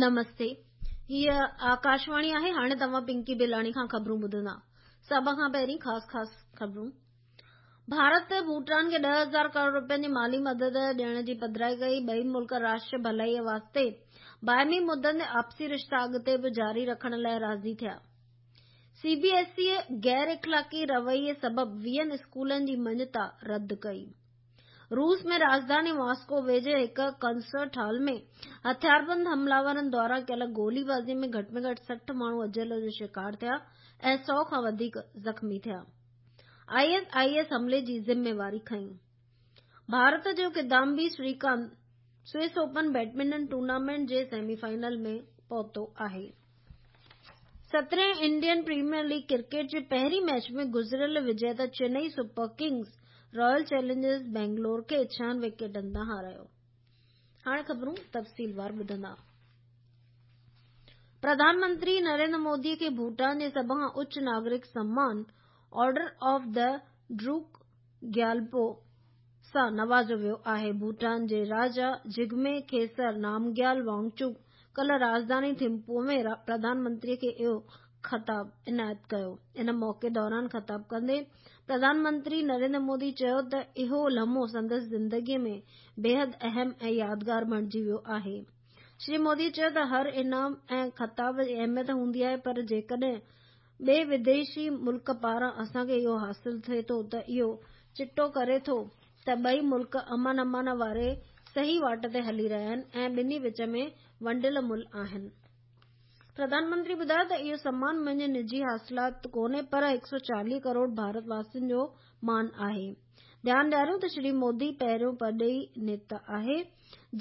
نمستي هيء آڪاشواڻي آهي هاڻي توهان پنڪي بلاڻي کان خبرون ٻڌندا سڀ کان پهرين خاص خاص خبرون ڀارت ڀوٽان کي 10,000 ڪروڙ رپين جي مالي مدد ڏيڻ جي پڌرائي ڪئي ٻئي ملڪ راشٽر ڀلائي واسطي باهمي مدن تي آپسي رشتا اڳتي به جاري رکڻ لاء راضي ٿيا سي بي ايس اي غير اخلاقي رويي سبب 20 اسڪولن جي مڃتا رد ڪئي روس ۾ راڄڌاني ماسڪو ويجهي هڪ ڪنسرٽ هال ۾ هٿياربند حمله آورن دواران ڪيل گولي بازي ۾ گهٽ ۾ گهٽ 60 ماڻهو اجل جو شڪار ٿيا ۽ 100 کان وڌيڪ زخمي ٿيا. I S I S حملي جي ذميواري کنئي. ڀارت جو Kidambi Srikanth Swiss Open badminton tournament جي سيمي فائنل ۾ پهتو آهي. سترهين انڊين پريميئر ليگ ڪرڪيٽ جي پهرين ميچ ۾ گذريل وجيتا Chennai Super Kings Royal Challengers Bangalore کي ڇهن وڪيٽن تان هارايو. هاڻي خبرون تفصيلوار ٻڌندا. پرڌان منتري نريندر مودي کي ڀوٽان جي سڀ کان اچ ناگرڪ سمان آرڊر آف the ڊروڪ گيالپو سان نوازيو ويو آهي. ڀوٽان جي راجا جگمي کيسر نامگيال وانگچوڪ ڪلهه راڄڌاني ٿمپوء ۾ پرڌان منتري کي اهو خطاب عنايت ڪيو. ان موقعي دوران خطاب ڪندي پرڌان منتري نريندر مودي چيو ته اهو لمحو سندس زندگي ۾ بيحد اهم ۽ يادگار بڻجي ويو آهي. شري مودي چيو ته هر انعام ۽ خطاب جي اهميت هوندي آهي پر جيڪڏهن ٻئي وديشي ملڪ پاران اسان کي اهو حاصل ٿئي ٿو ته اهو چٽو ڪري ٿو ته ٻئي ملڪ امن امان واري صحيح واٽ تي هلي رهيا آهن ۽ ٻنهي وچ ۾ ونڊيل ملهه آهن. پرڌان منتري ٻڌايو ته اهو سمان منهنجي نجي حاصلات ڪونهي پر 140 ڪروڙ ڀارت واسين جو مان آهي. ڌيان ڏياريون ته شري مودي پهريون پرڏيهي نيتا آهي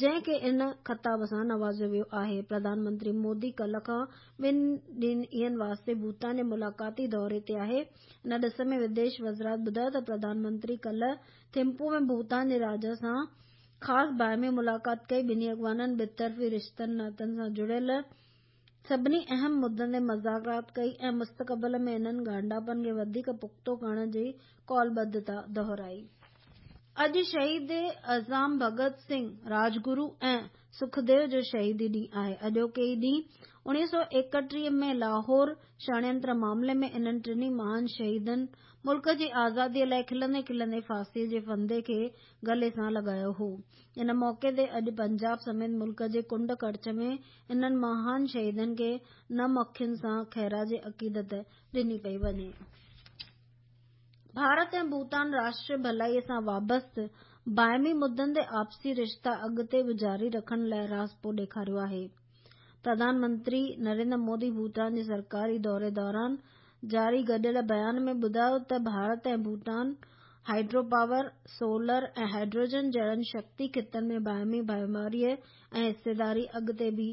جنهن کي ان خطاب سان نوازيو ويو آهي. پرڌان منتري مودي ڪلهه کان ٻن ڏينهن واسطي ڀوتان جي ملاقاتي دوري تي آهي. ان ڏس ۾ وديش وزارت ٻڌايو ته پرڌان منتري ڪلهه ٿمپو ۾ ڀوتان جي راجا سان خاص باهمي ملاقات ڪئي. ٻنهي اڳواڻن ٻطرفي رشتن ناتن سان جڙيل سڀني اهم مدن تي مذاڪرات ڪئي ۽ مستقبل ۾ انهن ڳانڍاپن کي وڌيڪ پختو ڪرڻ جي قولبڌتا دهرائي. اڄ شهيد اعظم ڀڳت سنگهه، راجگرو ۽ سکديو جو شهيدي ڏينهن آهي. اڄوڪي ئي ڏينهن 1931 ۾ لاهور षڙينتر معاملي ۾ انهن ٽنهي مهان شهيدن ملڪ جي آزادي لاء کلندي کلندي ڦاسي جي ڦندي کي گلي سان لڳايو هو. ان موقعي تي اڄ پنجاب سميت ملڪ جي ڪنڊ ڪڙڇ ۾ انهن مهان شهيدن کي نم اکين سان خراج عقيدت ڏني پئي وڃي. ڀارت ۽ ڀوتان راشٽري ڀلائي سان وابسته باهمي مدن تي آپسي رشتا اڳتي به جاري رکڻ لاء راضپو ڏيکاريو آهي. پرڌان منتري نريندر مودي ڀوتان جي سرڪاري دوري دوران جاري گڏيل بيان ۾ ٻڌايو ته Bharat ۽ Bhutan hydro power, solar ۽ hydrogen جهڙن شڪتي خطن ۾ باهمي ڀائيواري ۽ حصيداري اڳتي به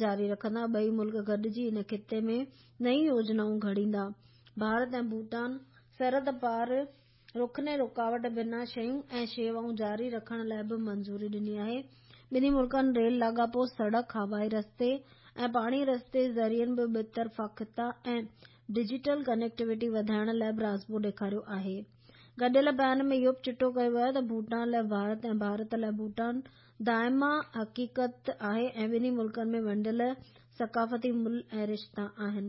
جاري رکندا، ٻئي ملڪ گڏجي ان خطي ۾ نيون يوجنائون گهڙيندا. ڀارت ۽ ڀوٽان سرحد پار رخني رڪاوٽ بنا شيون ۽ شيوائون جاري رکڻ لاء به منظوري ڏني آهي. ٻنهي ملڪن ريل لاڳاپو، سڙڪ، هوائي رستي ۽ پاڻي رستي ذريعن به ٻطرفا خطا ۽ ڊجيٽل ڪنيڪٽيوٽي وڌائڻ لاء به راضپو ڏيکاريو آهي. گڏيل بيان ۾ اهو به چٽو ڪيو ويو آهي ته ڀوٽان لاء ڀارت ۽ ڀارت لاء ڀوٽان دائما حقيقت آهي ۽ ٻنهي ملڪن ۾ ونڊيل ثقافتي ملهه ۽ رشتا آهن.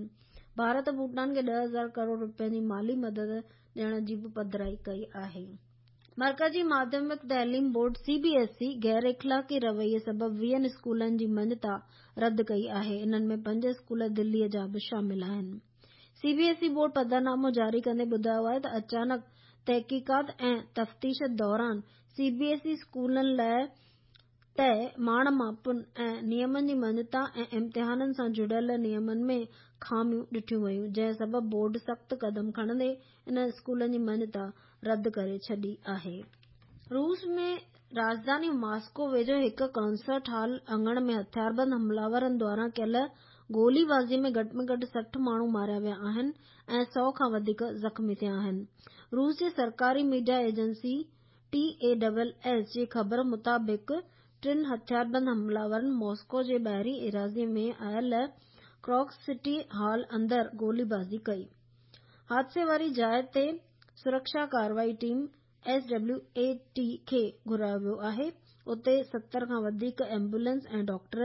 ڀارت ڀوٽان کي 10,000 ڪروڙ رپين جي مالي مدد ڏيڻ جي به پڌرائي ڪئي آهي. مرڪزي ماڌيمڪ تعليم بورڊ، سي بي ايس اي، غير اخلاقي رويي سبب ويهن اسڪولن جي مڃتا رد ڪئي آهي، انهن ۾ پنج اسڪول دلي جا به شامل آهن. سي بي ايس اي بورڊ پڌرنامو جاري ڪندي ٻڌايو آهي ته اچانڪ تحقيقات ۽ تفتيش دوران سي بي ايس اي اسڪولن لاء طئي ماڻ ماپن ۽ نيمن جي مڃتا ۽ امتحانن سان جڙيل نيمن ۾ خاميون ڏٺيون ويون، جنهن سبب بورڊ سخت قدم کڻندي انهن اسڪولن جي مڃتا رد ڪري ڇڏي آهي. روس ۾ راڄڌاني ماسڪو ويجهو هڪ ڪنسرٽ هال اڱڻ ۾ هٿياربند حمله آورن دواران ڪيل گولي بازي ۾ گهٽ ۾ گهٽ 60 ماڻهو ماريا ويا آهن ۽ 100 کان وڌيڪ زخمي ٿيا آهن. روس جي سرڪاري ميڊيا ايجنسي ٽي اي ڊبل ايس جي خبر مطابق ٽن هٿياربند حمله آورن ماسڪو جي ٻاهرين ايراضي ۾ آيل ڪراڪس سٽي هال اندر گولي بازي ڪئي. حادثي واري جاء تي سرڪشا ڪارروائي ٽيم، ايس ڊبليو اي ٽي، کي گهرايو ويو آهي. اتي 70 کان وڌيڪ ايمبولينس ۽ ڊاڪٽر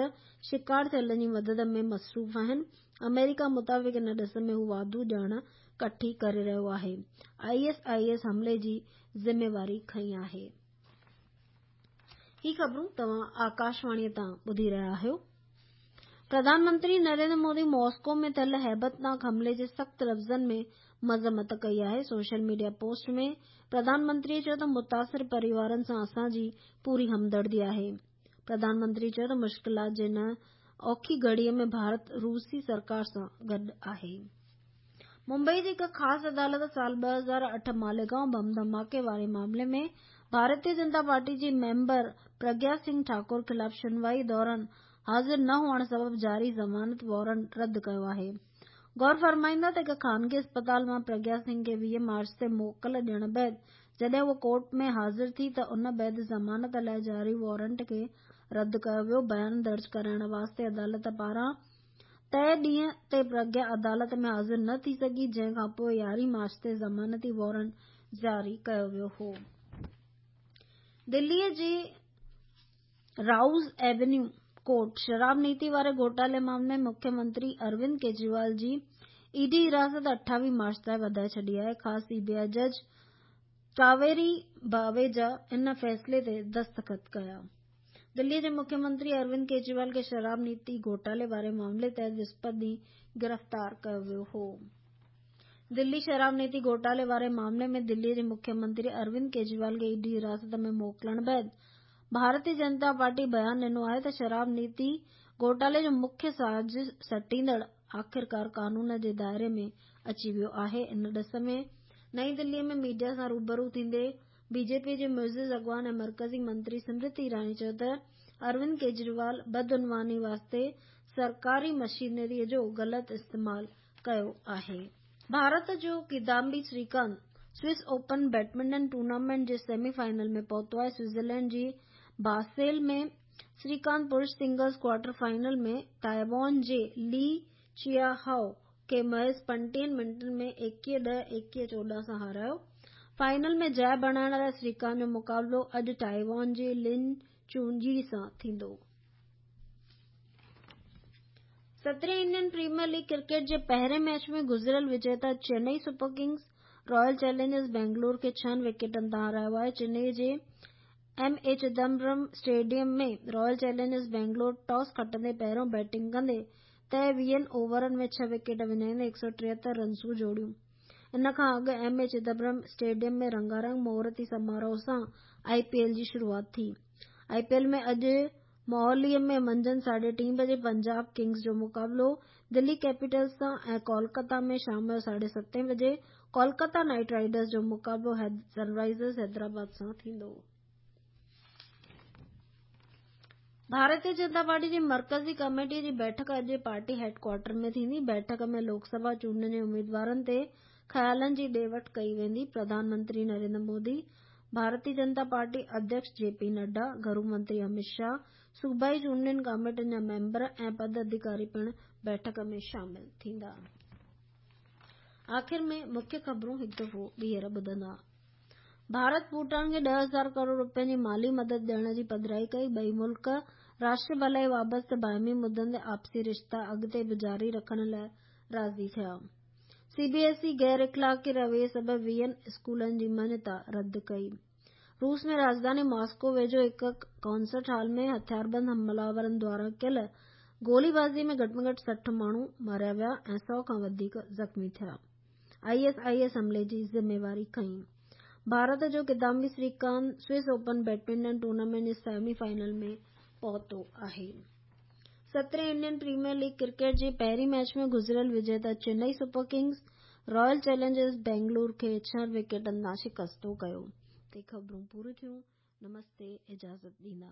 شڪار ٿيلن جي مدد ۾ مصروف آهن. آمريڪا مطابق ان ڏس ۾ هو واڌو ڄاڻ ڪٺي ڪري رهيو آهي. I S I S حملي جي ذميواري کنئي آهي. هي خبرون توهان آڪاشواڻي تان ٻڌي رهيا آهيو. پرڌان منتري نريندر مودي ماسڪو ۾ ٿيل هيبتناڪ حملي جي سخت لفظن ۾ مذمت ڪئي آهي. Social media post ۾ Pradhan Mantri چيو ته متاثر پريوارن سان اسان جي پوري همدردي آهي. پرڌان منتري چيو ته مشڪلات جي هن اوکي گهڙي ۾ ڀارت روسي سرڪار سان گڏ آهي. ممبئي جي هڪ خاص عدالت سال 2008 ماليگائون بم ڌماڪي واري معاملي ۾ ڀارتيه جنتا پارٽي جي ميمبر پرگيا سنگهه ٺاڪر خلاف شنوائي دوران حاضر نه هئڻ سبب جاري ضمانت وارنٽ رد ڪيو آهي. غور فرمائيندا ته هڪ خانگي اسپتال مان پرگيا سنگهه کي 20 مارچ تي موڪل ڏيڻ بعد جڏهن هوء ڪورٽ ۾ حاضر ٿي ته ان بعد ضمانت لاء جاري وارنٽ کي رد ڪيو ويو. بيان درج ڪرائڻ واسطي عدالت پاران طئي ڏينهن تي پرگيا عدالت ۾ حاضر نه ٿي سگهي جنهن کانپوء 11 مارچ تي ضمانتي وارنٽ جاري ڪيو ويو هو. دلي جي رائوز ايونيو ڪورٽ شراب نيتي واري گهوٽالي معاملي ۾ مکيه منتري اروند ڪيجريوال جي اي ڊي حراست 28 مارچ تائين وڌائي ڇڏي آهي. خاص سي بي آء جج ڪاويري باويجا ان فيصلي تي دستخط ڪيا. دلي جي مکيه منتري اروند ڪيجريوال کي شراب نيتي گهوٽالي واري معاملي تحت وسپت ڏينهن گرفتار ڪيو ويو هو. دلي شراب نيتي گهوٽالي واري معاملي ۾ دلي جي مکيه منتري اروند ڪيجريوال کي اي ڊي حراست ۾ موڪلڻ بعد ڀارتي جنتا پارٽي بيان ڏنو آهي ته شراب نيتي گهوٽالي جو مکيه سازش سٽيندڙ آخرڪار قانون جي دائري ۾ اچي ويو آهي. ان ڏس ۾ نئين دلي ۾ ميڊيا سان روبرو ٿيندي بي جي پي جي معزز اڳواڻ ۽ مرڪزي منتري سمرتي ايراني چيو ته اروند ڪيجريوال بدعنواني واسطي سرڪاري مشينري جو غلط استعمال ڪيو آهي. ڀارت جو Kidambi Srikanth Swiss open badminton tournament جي سيمي فائنل ۾ پهتو آهي. سوئٽزرلينڊ جي باسيل ۾ سريڪانت پرش سنگلز ڪوارٽر فائنل ۾ تائيوان جي لي چيا هائو کي محض 35 منٽن ۾ 21 ڏهه، 21 14 سان هارايو. فائنل ۾ جاء بڻائڻ لاء سريڪانت جو مقابلو اڄ تائيوان جي لن چون يي سان ٿيندو. سترهين انڊين پريميئر ليگ ڪرڪيٽ جي پهرين ميچ ۾ گذريل وجيتا Chennai super kings royal challengers Bangalore کي ڇهن وڪيٽن تان هارايو آهي. چنئي جي M A Chidambaram stadium ۾ royal challengers Bangalore toss کٽندي پهريون بيٽنگ ڪندي طئي ويهن اوورن ۾ ڇهه وڪيٽ وڃائيندي 173 رنسون جوڙيون. ان کان اڳ ايم اي چدمبرم اسٽيڊيم ۾ رنگارنگ مهورتي سماروهه سان آء پي ايل جي شروعات ٿي. آء پي ايل ۾ اڄ موهالي ۾ منجهند ساڍي ٽين بجي پنجاب ڪنگز جو مقابلو دلي ڪيپيٽلز سان ۽ ڪولڪتا ۾ شام جو ساڍي ستين بجي ڪولڪتا نائيٽ رائيڊرز جو مقابلو سن رائيزرز حيدرآباد سان ٿيندو. ڀارتيه جنتا پارٽي جي مرڪزي ڪميٽي جي بيٺڪ اڄ پارٽي هيڊ ڪوارٽر ۾ ٿيندي. بيٺڪ ۾ لوڪ سڀا چونڊن جي اميدوارن تي خيالن جي ڏي وٺ ڪئي ويندي. پرڌان منتري نريندر مودي، ڀارتيه جنتا پارٽي اڌيڪش جي پي نڊا، گهرو منتري امت شاهه، صوبائي چونڊين ڪاميٽين جا ميمبر ۽ پد اڌيڪاري پڻ بيٺڪ ۾ شامل ٿيندا. آخر ۾ مکيه خبرون هڪ دفعو ٻيهر ٻڌندا. ڀارت ڀوٽان کي 10,000 ڪروڙ رپين جي مالي مدد ڏيڻ جي پڌرائي ڪئي، ٻئي ملڪ راشٽر ڀلائي وابسته باهمي مدن تي آپسي رشتا اڳتي به جاري رکڻ لاء راضي ٿيا. سي بي ايس اي غير اخلاقي رويي سبب ويهن اسڪولن جي مڃتا رد ڪئي. روس ۾ راڄڌاني ماسڪو ويجهو هڪ ڪنسرٽ هال ۾ هٿياربند حمله آورن دواران ڪيل گولي بازي ۾ گهٽ ۾ گهٽ 60 ماڻهو ماريا ويا ۽ 100 کان وڌيڪ زخمي ٿيا. I S I S حملي جي ذميواري کنئي. ڀارت جو Kidambi Srikanth Swiss open badminton tournament جي سيمي فائنل ۾ پهتو آهي. سترهين انڊين پريميئر ليگ ڪرڪيٽ جي پهرين ميچ ۾ گذريل وجيتا Chennai super kings royal challengers Bangalore کي ڇهن وڪيٽن تان شڪستو ڪيو. تي خبرون پوريون ٿيون. نمستي اجازت ڏيندا.